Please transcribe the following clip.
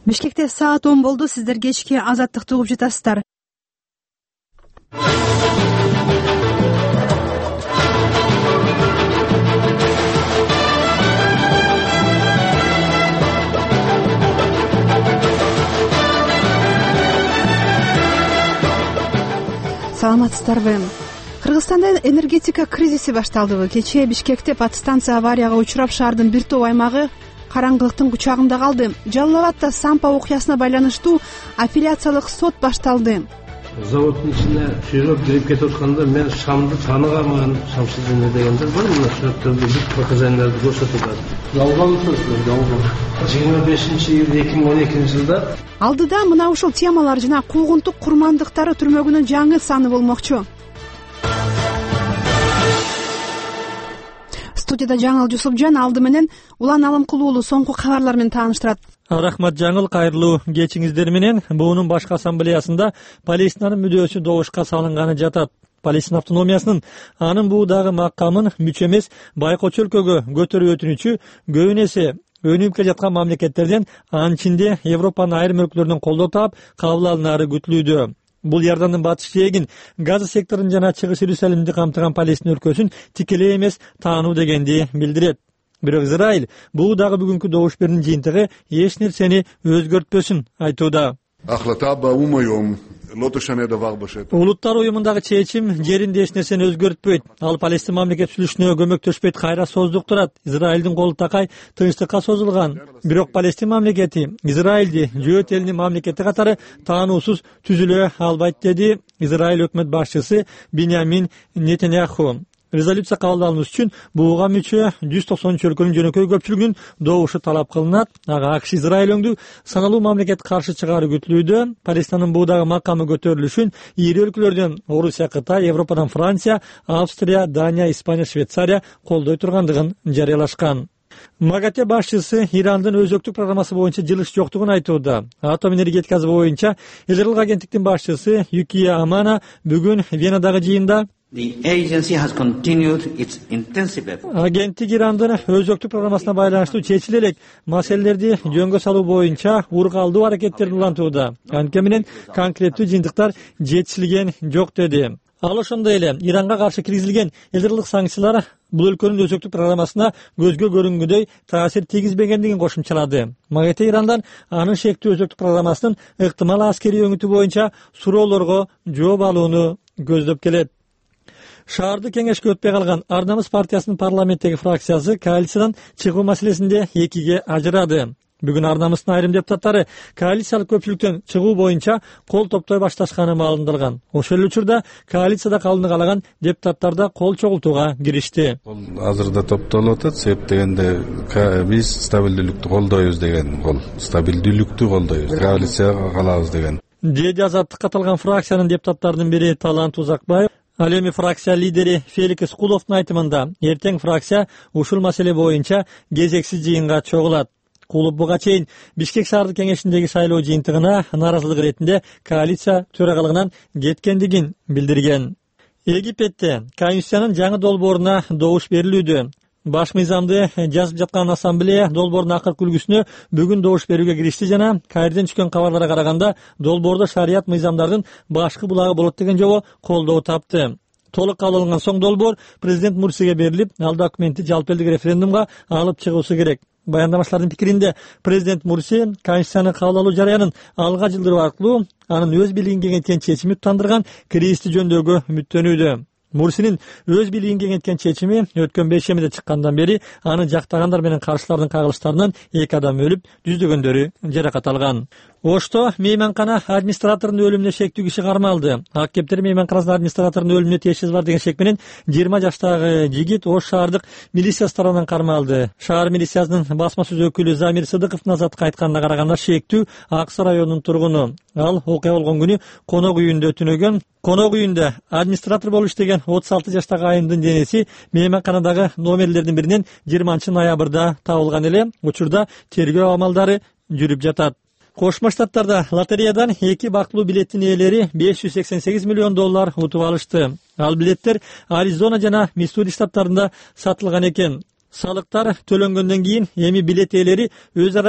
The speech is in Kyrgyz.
Бишкекте саат 10 болду. Сиздер кечки Азаттыкты угуп жатасыздар. Саламатсыздарбы? Кыргызстанда энергетика кризиси башталдыбы? Кечээ Бишкекте подстанция аварияга учурап шаардын бир топ аймагы караңгылыктын кучагында калды. Жалал Абадта Сампа окуясына байланыштуу апелляциялык сот башталды. Заводдун ичине чыгып кирип кетип атканда мен шамды тааныганмын, шамсыз эме дегендер бар. Мына сүрөттөрдө бүт показанияларды көрсөтүп атат. Жалган сөз, жалган. 25-июль 2012-жылда алдыда мына ушул темалар жана куугунтук курмандыктары түрмөгүнүн жаңы саны болмокчу. Студияда Жаңыл Жусупжан алды менен Улан Алымкулуулу соңку кабарлар менен тааныштырат. Рахмат Жаңыл, кайрылуу кечиңиздер менен. БУнун башкы ассамблеясында Палестинанын мүдөөсү добушка салынганы жатат. Палестина автономиясынын анын буудагы макамын мүчө эмес байкоочу өлкөгө көтөрүү өтүнүчү көбүн эсе өнүгүп келе жаткан мамлекеттерден, анын ичинде Европанын айрым өлкөлөрүнөн колдоо таап кабыл алынары күтүлүүдө. Бул Иордандын батыш жээгин, Газа секторун жана Чыгыш Иерусалимди камтыган Палестина өлкөсүн тикелей эмес таануу дегенди билдирет. Бирок Израиль бул дагы бүгүнкү добуш берүүнүн жыйынтыгы эч нерсени өзгөртпөсүн айтууда. Улуттар уюмундагы чечим жеринде эч нерсени өзгөртпөйт. Ал Палестин мамлекет түзүлүшүнө көмөктөшпөйт, кайра создуктурат. Израилдин колу такай тынчтыкка созулган. Бирок Палестин мамлекети Израилди жөөт элинин мамлекети катары таануусуз түзүлө албайт, деди Израиль өкмөт башчысы Биньямин Нетаньяху. Резолюция кабылдануш үчүн буга мүчө 193 өлкөнүн жөнөкөй көпчүлүгүнүн добушу талап кылынат. Ага АКШ Израиль өңдүү саналуу мамлекет каршы чыгаары күтүлүүдө. Палестинанын буудагы макамы көтөрүлүшүн ири өлкөлөрдөн Орусия, Кытай, Европадан Франция, Австрия, Дания, Испания, Швейцария колдой тургандыгын жарыялашкан. МАГАТЭ башчысы Ирандын өзөктүк программасы боюнча жылыш жоктугун айтууда. Атом энергетикасы боюнча эл жылдык агенттиктин башчысы Юкия Амана бүгүн Венадагы жыйында агенттик Ирандын өзөктүк программасына байланыштуу чечиле элек маселелерди жөнгө салуу боюнча ургалдуу аракеттерин улантууда. Анткени менен конкреттүү жыйынтыктар жетишилген жок, деди. Ал ошондой эле Иранга каршы киргизилген эл жылдык санкциялар бул өлкөнүн өзөктүк программасына көзгө көрүнгөндөй таасир тийгизбегендигин кошумчалады. МАГАТЭ Ирандан анын шектүү өзөктүк программасынын ыктымал аскерий өңүтү боюнча суроолорго жооп алууну көздөп келет. Шаарды кеңешке өтпөй калган Ар намыс партиясынын парламенттеги фракциясы коалициядан чыгуу маселесинде экиге ажырады. Бүгүн Ар намыстын айрым депутаттары коалициялык көпчүлүктөн чыгуу боюнча кол топтой башташканы маалымдалган. Ошол эле учурда коалицияда калууну каалаган депутаттар да кол чогултууга киришти. Азырда топтолуп атат. Себеп дегенде биз стабилдүүлүктү колдойбуз деген кол. Стабилдүүлүктү колдойбуз. Коалицияга калабыз деген. Деди Азаттыкка катылган фракциянын депутаттарынын бири Талант Узакбаев. Ал эми фракция лидери Фелик Искуловдун айтымында эртең фракция ушул маселе боюнча кезексиз жыйынга чогулат. Кулуп буга чейин Бишкек шаардык кеңешиндеги шайлоо жыйынтыгына нааразылык иретинде коалиция төрагалыгынан кеткендигин билдирген. Египетте Конституциянын жаңы долбооруна добуш берилүүдө. Баш мыйзамды жазып жаткан ассамблея долбоордун акыркы үлгүсүнө бүгүн добуш берүүгө киришти жана Каирден түшкөн кабарларга караганда долбоордо шарият мыйзамдардын башкы булагы болот деген жобо колдоо тапты. Толук кабыл алынган соң долбоор президент Мурсиге берилип, ал документти жалпы элдик референдумга алып чыгуусу керек. Баяндамачылардын пикиринде президент Мурси Конституцияны кабыл алуу жарыянын алга жылдыруу аркылуу анын өз бийлигин кеңейткен чечими тандырган кризисти жөндөөгө үмүттөнүүдө. Мурсинин өз бийлигин кеңейткен чечими өткөн бейшембиде чыккандан бери аны жактагандар менен каршылардын кагылыштарынан 2 адам өлүп, жүздөгөндөрү жаракат алган. Ошто мейманкана администраторунун өлүмүнө шектүү киши кармалды. Ак кептер мейманканасынын администраторунун өлүмүнө тиешеси бар деген шек менен 20 жаштагы жигит Ош шаардык милициясы тарабынан кармалды. Шаар милициясынын басма сөз өкүлү Замир Сыдыковдун Азаттыкка айтканына караганда шектүү Аксы районунун тургуну. Ал окуя болгон күнү конок үйүндө түнөгөн. Конок үйүндө администратор болуп иштеген 36 жаштагы айымдын денеси мейманканадагы номерлердин биринен 20-ноябрда табылган эле. Учурда тергөө амалдары жүрүп жатат. Кошмо Штаттарда лотереядан 2 бактылуу билеттин ээлери $588 миллион утуп алышты. Ал билеттер Аризона жана Миссури штаттарында сатылган экен. Салыктар төлөнгөндөн кийин эми билет ээлери өз ара